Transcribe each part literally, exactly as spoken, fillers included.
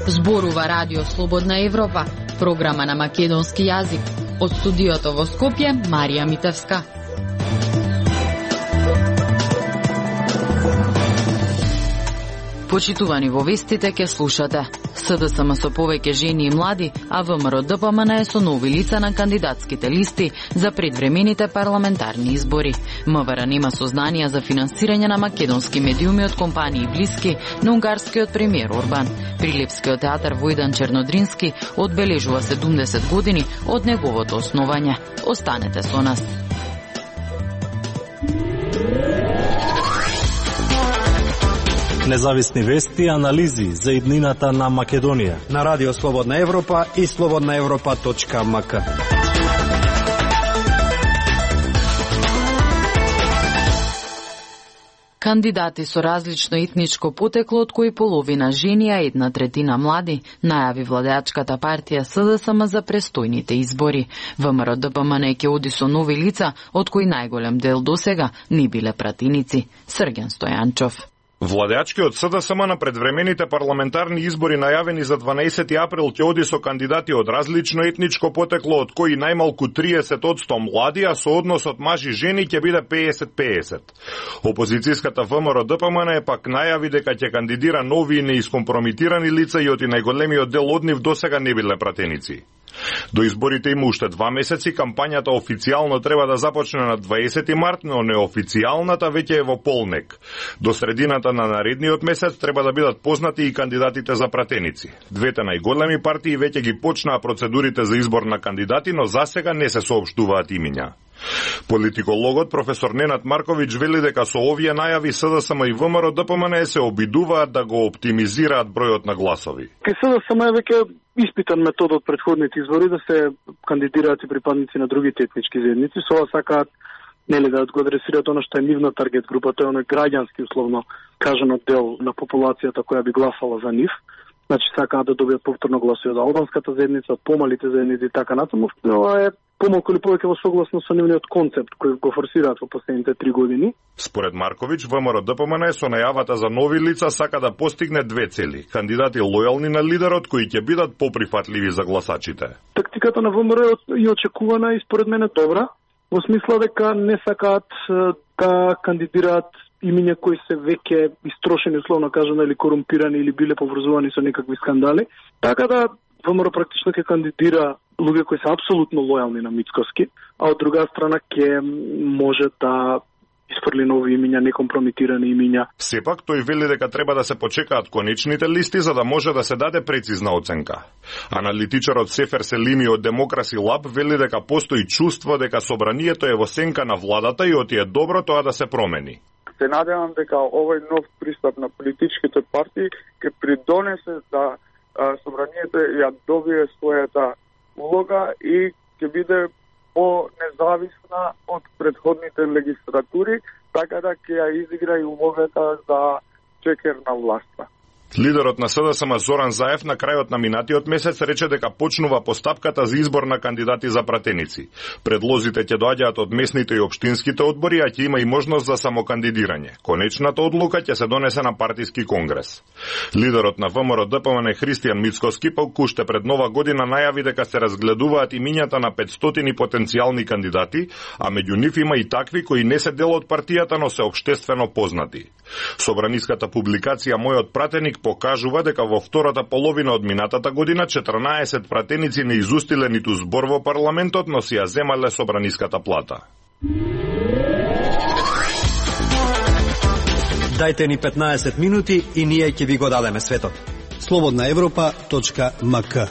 Зборува Радио Слободна Европа, програма на македонски јазик. Од студиото во Скопје, Марија Митевска. Почитувани во вестите ке слушате. СДСМ со повеќе жени и млади, а ВМРО ДПМН е со нови лица на кандидатските листи за предвремените парламентарни избори. МВР нема сознанија за финансирање на македонски медиуми од компании блиски на унгарскиот премиер Орбан. Прилепскиот театар Војдан Чернодрински одбележува седумдесет години од неговото основање. Останете со нас. Независни вести и анализи за иднината на Македонија на Радио Слободна Европа и слободна европа точка ем ка. Кандидати со различно етничко потекло, од кои половина жени, а една третина млади, најави владеачката партија СДСМ за престојните избори. ВМРО ДПМН ќе оди со нови лица, од кои најголем дел досега не биле пратеници. Срѓан Стојанчов. Владеачкиот СДСМ на предвремените парламентарни избори најавени за дванаесети април ќе оди со кандидати од различно етничко потекло, од кои најмалку триесет одсто млади, а со односот мажи-жени ќе биде пеесет пеесет. Опозицијската ВМРО ДПМН е пак најави дека ќе кандидира нови и неискомпромитирани лица и од и најголемиот дел од нив досега не биле пратеници. До изборите има уште два месеци, кампањата официјално треба да започне на дваесети март, но неофицијалната веќе е во полнек. До средината на наредниот месец треба да бидат познати и кандидатите за пратеници. Двете најголеми партии веќе ги почнаа процедурите за избор на кандидати, но засега не се соопштуваат имиња. Политикологот професор Ненад Марковиќ вели дека со овие најави СДСМ и ВМРО ДПМН се обидуваат да го оптимизираат бројот на гласови. Ке СДСМ е веќе испитан метод од претходните избори да се кандидираат и припадници на другите етнички заедници. Со ова сакаат нели да го адресираат она што е нивна таргет група, тоа е оној граѓански условно кажано дел на популацијата која би гласала за нив. Значи сакаат да добијат повторно гласови од албанската заедница, од помалите заедници и така натаму. Ова е помалку или повеќе во согласно со нивниот концепт кој го форсираат во последните три години. Според Марковиќ, ВМРО ДПМН со најавата за нови лица сака да постигне две цели: кандидати лојални на лидерот кои ќе бидат поприфатливи за гласачите. Тактиката на ВМРО е очекувана и според мене добра, во смисла дека не сакаат да кандидираат имиња кои се веќе истрошени, условно кажано, или корумпирани или биле поврзувани со некакви скандали. Така да ВМРО практично ќе кандидира луѓе кои се апсолутно лојални на Мицкоски, а од друга страна ќе може да испрли нови имиња, некомпромитирани имиња. Сепак тој вели дека треба да се почекаат конечните листи за да може да се даде прецизна оценка. Аналитичарот Сефер Селими од Демокраси Лаб вели дека постои чувство дека собранието е во сенка на владата и оти е добро тоа да се промени. Се надевам дека овој нов пристап на политичките партии ќе придонесе да собранието ја добие својата улога и ќе биде по-независна од предходните легислатури, така да ќе ја изигра и улогата за чекер на власта. Лидерот на СДСМ Зоран Заев на крајот на минатиот месец рече дека почнува постапката за избор на кандидати за пратеници. Предлозите ќе доаѓаат од местните и општинските одбори, а ќе има и можност за самокандидирање. Конечната одлука ќе се донесе на партиски конгрес. Лидерот на ВМРО ДПМН Христијан Мицкоски пак уште пред нова година најави дека се разгледуваат имињата на петстотини потенцијални кандидати, а меѓу нив има и такви кои не се дел од партијата, но се општествено познати. Собраниската публикација Мојот пратеник покажува дека во втората половина од минатата година четрнаесет пратеници не изустиле ниту збор во парламентот, но си ја земале собраниската плата. Дајте ни петнаесет минути и ние ќе ви го дадеме светот. слободна европа точка ем ка.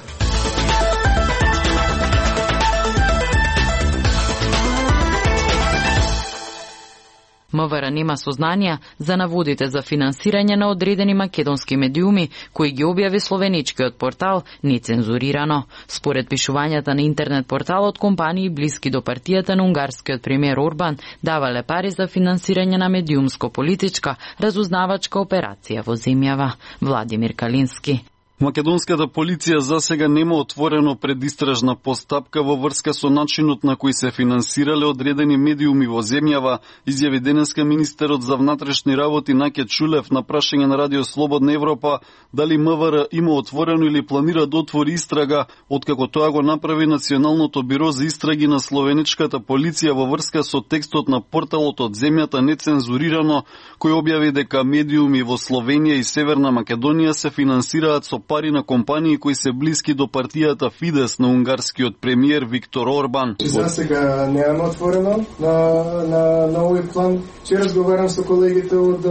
МВР нема сознанија за наводите за финансирање на одредени македонски медиуми, кои ги објави словеничкиот портал нецензурирано. Според пишувањата на интернет порталот, компании блиски до партијата на унгарскиот премиер Орбан давале пари за финансирање на медиумско-политичка разузнавачка операција во земјава. Владимир Калински. Македонската полиција засега нема отворено предистражна постапка во врска со начинот на кој се финансирале одредени медиуми во земјава, изјави денеска министерот за внатрешни работи Наке Чулев на прашање на Радио Слободна Европа дали МВР има отворено или планира да отвори истрага, откако тоа го направи Националното биро за истраги на словеничката полиција во врска со текстот на порталот од земјата нецензурирано, кој објави дека медиуми во Словенија и Северна Македонија се финансираат со пари на компании кои се блиски до партијата Фидес на унгарскиот премиер Виктор Орбан. За сега немаме отворено на, на, на овој план. Че разговарам со колегите од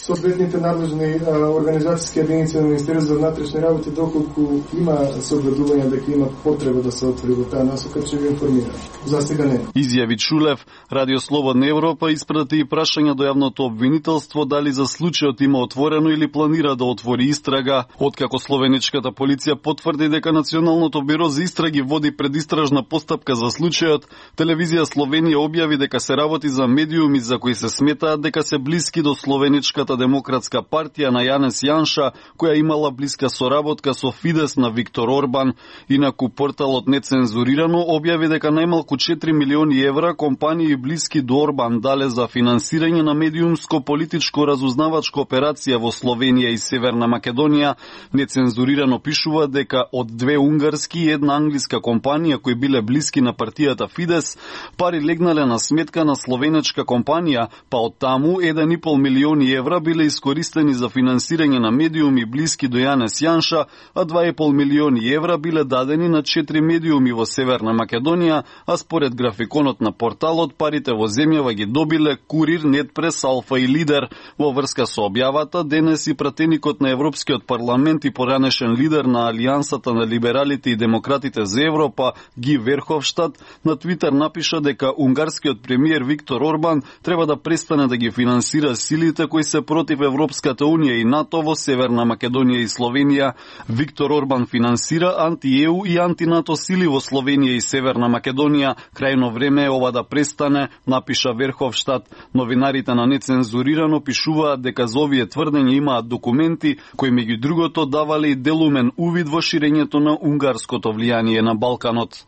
соодветните надлежни организацијски единици на Министерството за внатрешни работи, доколку има согледување дека има потреба да се отвори во таа насока, ќе ви информирам. За сега не. Изјави Чулев. Радио Слободна Европа испрати и прашања до јавното обвинителство дали за случајот има отворено или планира да отвори истрага. Откако словеничката полиција потврди дека Националното биро за истраги води предистражна постапка за случајот, телевизија Словенија објави дека се работи за медиуми за кои се сметаат дека се блиски до словеничката Демократска партија на Јанес Јанша, која имала блиска соработка со Фидес на Виктор Орбан. Инаку порталот Нецензурирано објави дека најмалку четири милиони евра компании блиски до Орбан дале за финансирање на медиумско-политичко разузнавачка операција во Словенија и Северна Македонија. Нецензурирано пишува дека од две унгарски и една англиска компанија кои биле блиски на партијата Фидес, пари легнале на сметка на словенечка компанија, па од таму еден и пол милиони евра биле искористени за финансирање на медиуми блиски до Јанес Јанша, а два и пол милиони евра биле дадени на четири медиуми во Северна Македонија, а според графиконот на порталот парите во земјава ги добиле Курир, Нетпрес, Алфа и Лидер. Во врска со објавата, денес и пратеникот на Европскиот парламент и поранешен лидер на Алијансата на либералите и демократите за Европа, Ги Верховштад, на Твитер напиша дека унгарскиот премиер Виктор Орбан треба да престане да ги финансира силите кои се против Европската унија и НАТО во Северна Македонија и Словенија. Виктор Орбан финансира анти-ЕУ и анти-НАТО сили во Словенија и Северна Македонија. Крајно време е ова да престане, напиша Верховштад. Новинарите на Нецензурирано пишуваат дека за овие тврдења имаат документи кои меѓу другото давале и делумен увид во ширењето на унгарското влијание на Балканот.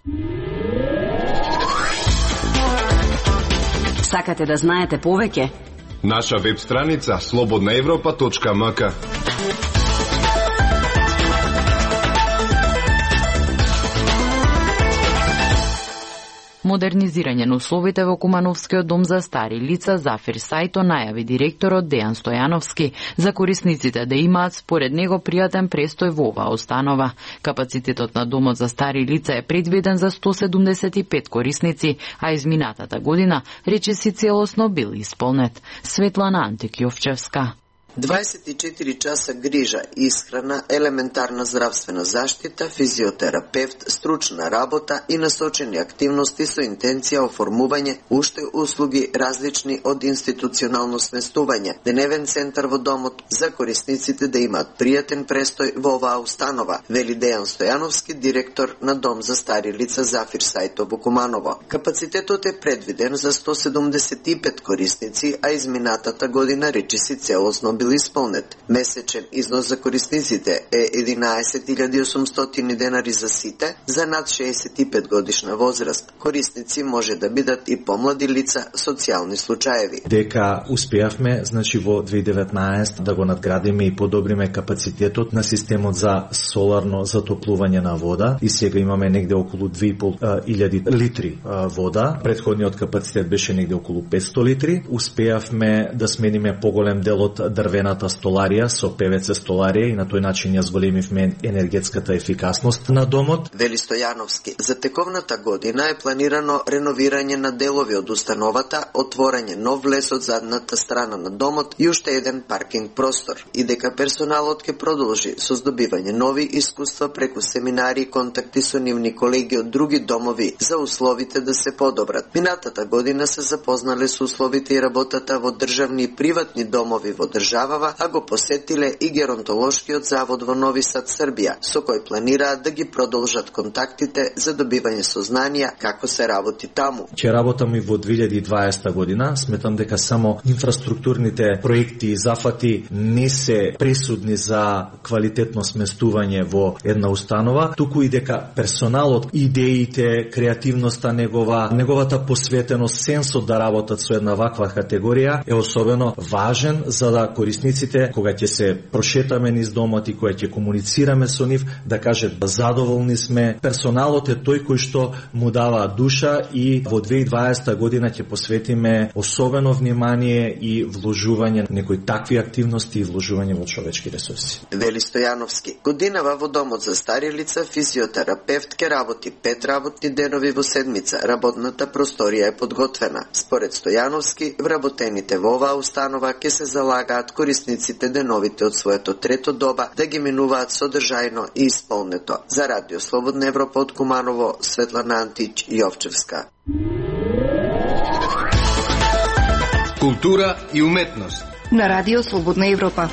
Сакате да знаете повеќе? Наша веб страница слободна европа точка ем ка. Модернизирање на условите во Кумановскиот дом за стари лица Зафир Сајто најави директорот Дејан Стојановски за корисниците да имаат според него пријатен престој во оваа установа. Капацитетот на домот за стари лица е предвиден за сто седумдесет и пет корисници, а изминатата година речиси целосно бил исполнет. Светлана Антик-Јовчевска. дваесет и четири часа грижа, исхрана, елементарна здравствена заштита, физиотерапевт, стручна работа и насочени активности со интенција оформување уште услуги различни од институционално сместување, деневен центар во домот за корисниците да имаат пријатен престој во оваа установа, вели Дејан Стојановски, директор на Дом за стари лица Зафир Сајто во Куманово. Капацитетот е предвиден за сто седумдесет и пет корисници, а изминатата година речиси целосно бил исполнет. Месечен износ за корисниците е единаесет илјади и осумстотини денари за сите за над шеесет и пет годишна возраст. Корисници може да бидат и помлади лица, социјални случаеви. Дека успеавме, значи во две илјади и деветнаесета да го надградиме и подобриме капацитетот на системот за соларно затоплување на вода и сега имаме негде околу две и пол илјади литри вода. Претходниот капацитет беше негде околу петсто литри. Успеавме да смениме поголем дел од дрвената столарија со ПВЦ столарија и на тој начин ја зголемивме енергетската ефикасност на домот. Вели Стојановски, за тековната година е планирано реновирање на делови од установата, отворање нов влез од задната страна на домот и уште еден паркинг простор. И дека персоналот ќе продолжи со здобивање нови искуства преку семинари и контакти со нивни колеги од други домови за условите да се подобрат. Минатата година се запознале со условите и работата во државни и приватни домови во држава забава, а го посетиле и Геронтолошкиот завод во Нови Сад, Србија, со кој планираат да ги продолжат контактите за добивање сознанија како се работи таму. Ќе работам и во две илјади и дваесета година. Сметам дека само инфраструктурните проекти и зафати не се пресудни за квалитетно сместување во една установа, туку и дека персоналот, идеите, креативноста негова, неговата посветеност, сенсот да работат со една ваква категорија е особено важен за да корисниците, кога ќе се прошетаме низ домот и кога ќе комуницираме со нив, да кажат задоволни сме. Персоналот е тој кој што му дава душа и во две илјади и дваесета година ќе посветиме особено внимание и вложување некои такви активности и вложување во човечки ресурси. Вели Стојановски, годинава во домот за стари лица физиотерапевт ке работи пет работни денови во седмица. Работната просторија е подготвена. Според Стојановски, вработените во оваа установа ке се залагаат корисниците деновите од своето трето доба да ги минуваат содржајно и исполнето. За Радио Слободна Европа од Куманово, Светлана Антич, Јовчевска. Култура и уметност на Радио Слободна Европа.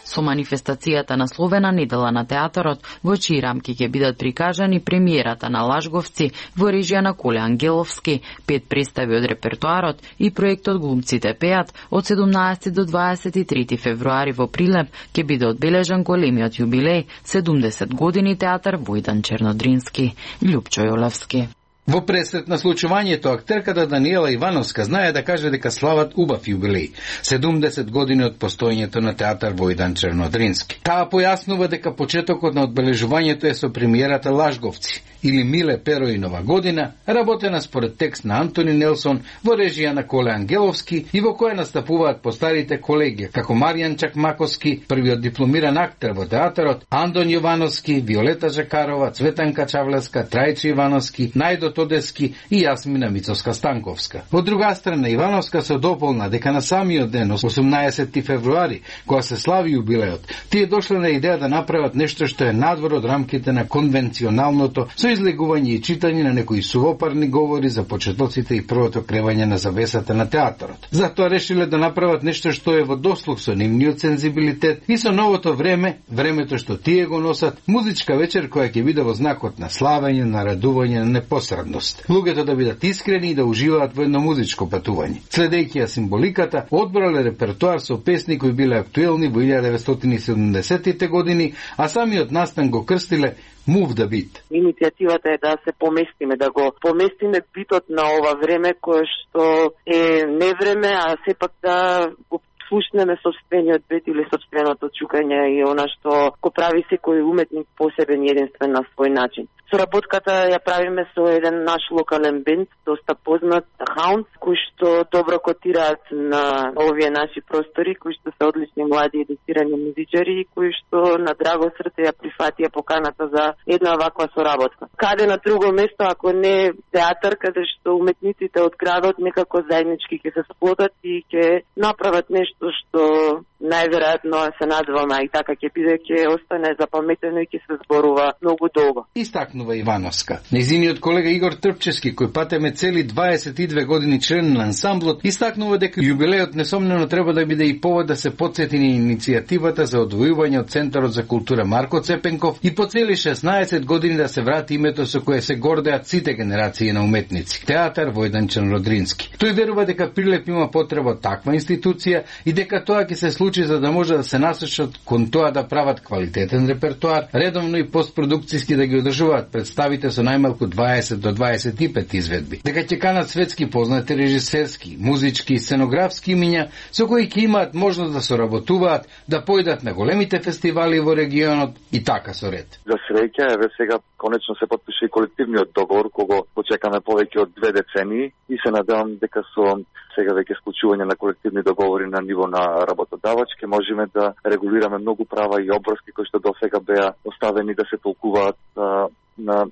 Со манифестацијата насловена Недела на театарот, во чии рамки ќе бидат прикажани премиерата на Лажговци во режија на Коле Ангеловски, пет представи од репертоарот и проектот Глумците пеат, од седумнаесети до дваесет и трети февруари во Прилеп ќе биде одбележан големиот јубилеј седумдесет години театар Војдан Чернодрински. Љупчо Јолевски. Во пресрет на случувањето, актерката Даниела Ивановска знае да каже дека слават убав јубилеј, седумдесет години од постоењето на театар Војдан Чернодрински. Таа појаснува дека почетокот на одбележувањето е со премиерата Лажговци, или Миле Перо и Нова година, работена според текст на Антони Нелсон во режија на Коле Ангеловски и во која настапуваат постарите колеги, како Маријан Чакмаковски, првиот дипломиран актер во театарот, Андон Јовановски, Виолета Жакарова, Цветанка Чавлеска, Трајче Ивановски, Најдо Тодески и Јасмина Мицовска-Станковска. Од друга страна, Ивановска се дополна дека на самиот ден, осумнаесети февруари, кога се слави јубилеот, тие дошле на идеја да направат нешто што е надвор од рамките на конвенционалното, со излегување и читање на некои сувопарни говори за почетоците и првото кревање на завесата на театарот. Затоа решиле да направат нешто што е во дослуг со нивниот сензибилитет и со новото време, времето што тие го носат, музичка вечер која ќе биде во знакот на славење, на радување, на непосредност. Луѓето да бидат искрени и да уживаат во едно музичко патување. Следејќи ја символиката, одбрале репертоар со песни кои биле актуелни во илјада деветстотини и седумдесетите години, а самиот настан го крстиле Move the Beat. Иницијативата е да се поместиме, да го поместиме битот на ова време кое што е невреме, а сепак да го слушнеме собствениот бит или собственото чукање и она што го прави секој уметник посебен и единствен на свој начин. Соработката ја правиме со еден наш локален бенд, доста познат, Hounds, кои што добро котираат на овие наши простори, кои што се одлични млади едуцирани музичари и кои што на драго срце ја прифатија поканата за една ваква соработка. Каде на друго место, ако не театар, каде што уметниците од градот некако заеднички ќе се сплотат и ќе направат нешто што најверојатно се надеваме и така ќе биде, ќе остане запаметено и ќе се зборува многу долго. Истакнува Ивановска. Нејзиниот колега Игор Трпчевски, кој патеме цели дваесет и две години член на ансамблот, истакнува дека јубилеот несомнено треба да биде и повод да се потсети на иницијативата за одвојување од Центарот за култура Марко Цепенков и по цели шеснаесет години да се врати името со кое се гордеат сите генерации на уметници. Театар Војдан Чернодрински. Тој верува дека Прилеп има потреба од таква институција и дека тоа ќе се случи за да може да се насочат кон тоа да прават квалитетен репертоар, редовно и постпродукцијски да ги одржуваат представите со најмалку дваесет до дваесет и пет изведби. Дека ќе канат светски познати режисерски, музички и сценографски имиња со кои ќе имаат можност да соработуваат, да појдат на големите фестивали во регионот и така со ред. За среќа, еве сега конечно се потпише и колективниот договор, кого почекаме повеќе од две децении и се надевам дека со сега веќе склучување на колективни договори на ниво на работодавач ќе можеме да регулираме многу права и обврски кои што досега беа оставени да се толкуваат а, на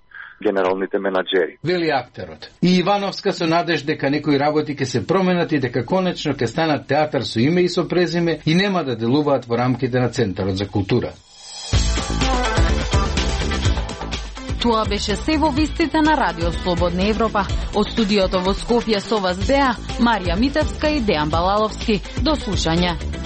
генералните менаџери. Вели актерот. И Ивановска со надеж дека некои работи ќе се променат и дека конечно ќе станат театар со име и со презиме и нема да делуваат во рамките на Центарот за култура. Тоа беше се во вестите на Радио Слободна Европа. Од студиото во Скопје со вас беа Марија Митевска и Дејан Балаловски. До слушање.